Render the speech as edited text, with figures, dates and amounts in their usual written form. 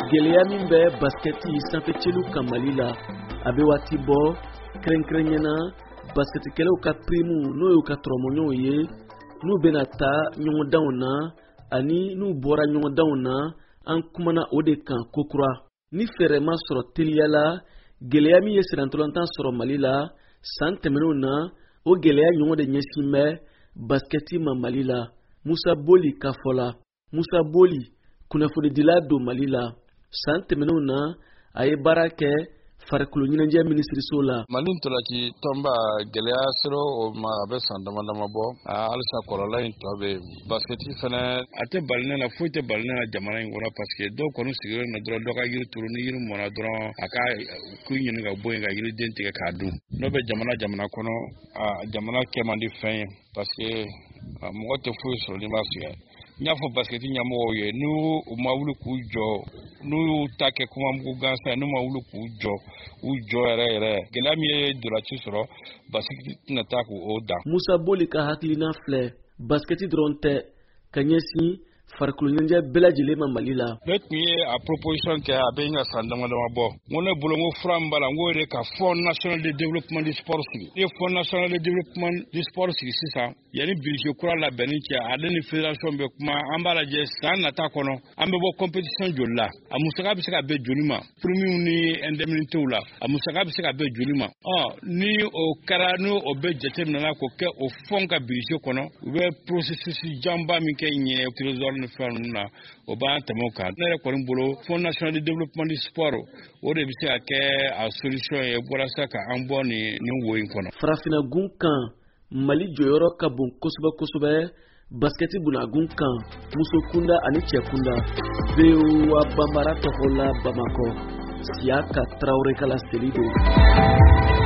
Gɛlɛya min bɛ basikɛti sanfɛcelu kan Mali la, a bɛ waati bɔ, kɛrɛnkɛrɛnya na basikɛtikɛlaw ka pirimu, n'o y'u ka tɔrɔmɔɲɔgɔnw ye, n'u bɛna taa ɲɔgɔndanw na ani n'u bɔra ɲɔgɔndanw na, an kumana o de kan kokura. Ni fɛɛrɛ ma sɔrɔ teliya la, gɛlɛya min ye sennantolatan sɔrɔ Mali la san tɛmɛnenw na, o gɛlɛya ɲɔgɔn de ɲɛsin bɛ basikɛti ma Mali la. Musa Boli ka fɔ la, Musa Boli kunnafonidila don Mali la. San tɛmɛnenw na, a ye baara kɛ farikolo ɲɛnajɛ minisiriso la. Mali ntolaci tɔnba, gɛlɛya sera o ma, a bɛ san dama dama bɔ. Halisa kɔlɔlɔ in tɔ bɛ yen. Basikɛti fɛnɛ, a tɛ bali ne na, foyi tɛ bali ne na jamana in kɔnɔ, parce que dɔw kɔni sigilen don dɔrɔn, dɔ ka yiri turu, ni yiri mɔna dɔrɔn, a ka k'u ɲini ka bɔ yen ka yiriden tigɛ k'a dun. N'o bɛ jamana jamana kɔnɔ, a jamana kɛ man di fɛn ye, parce que mɔgɔ tɛ foyi sɔrɔ n'i ma sɛgɛn. N y'a fɔ basikɛti ɲɛmɔgɔw ye, n'u ma wuli k'u jɔ, n'u y'u ta kɛ kumamugu gansan, n'u ma wuli k'u jɔ, u jɔ yɛrɛ yɛrɛ, gɛlɛya min ye dolaci sɔrɔ, basikɛti tɛna taa k'o dan. Musa Boli ka hakilina filɛ, basikɛti dɔrɔn tɛ, ka ɲɛsin farikolo ɲɛnajɛ bɛɛ lajɛlen ma Mali la. Ne tun ye a proposition kɛ, a bɛ ka san dama dama bɔ. N ko ne bolo, n ko fura min b'a la, n k'o de ka Fonds national de développement du sport sigi. N'i ye Fonds national de développement du sport sigi sisan, yanni budget kura labɛnni cɛ, ale ni fédération bɛ kuma, an b'a lajɛ san nata kɔnɔ an bɛ bɔ compétition joli la, a musaka bɛ se ka bɛn joli ma, primes ni indemnités la, a musaka bɛ se ka bɛn joli ma. Ɔ ni o kɛra, ni o bɛ jateminɛ k'o kɛ o fonds ka budget kɔnɔ, u bɛ processus janba min kɛ ɲɛ trésor ni fɛn ninnu na, o b'an tɛmɛ o kan. Ne yɛrɛ kɔni bolo, Fonds national de développement du sport, o de bɛ se ka kɛ a solution ye walasa ka an bɔ nin wo in kɔnɔ. Farafinna gun kan, Mali jɔyɔrɔ ka bon kosɛbɛ kosɛbɛ basikɛti bunagun kan, muso kunda ani cɛ kunda. VOA Banbara tɔgɔ la, Bamakɔ, Siyaka Tarawele ka laseli don.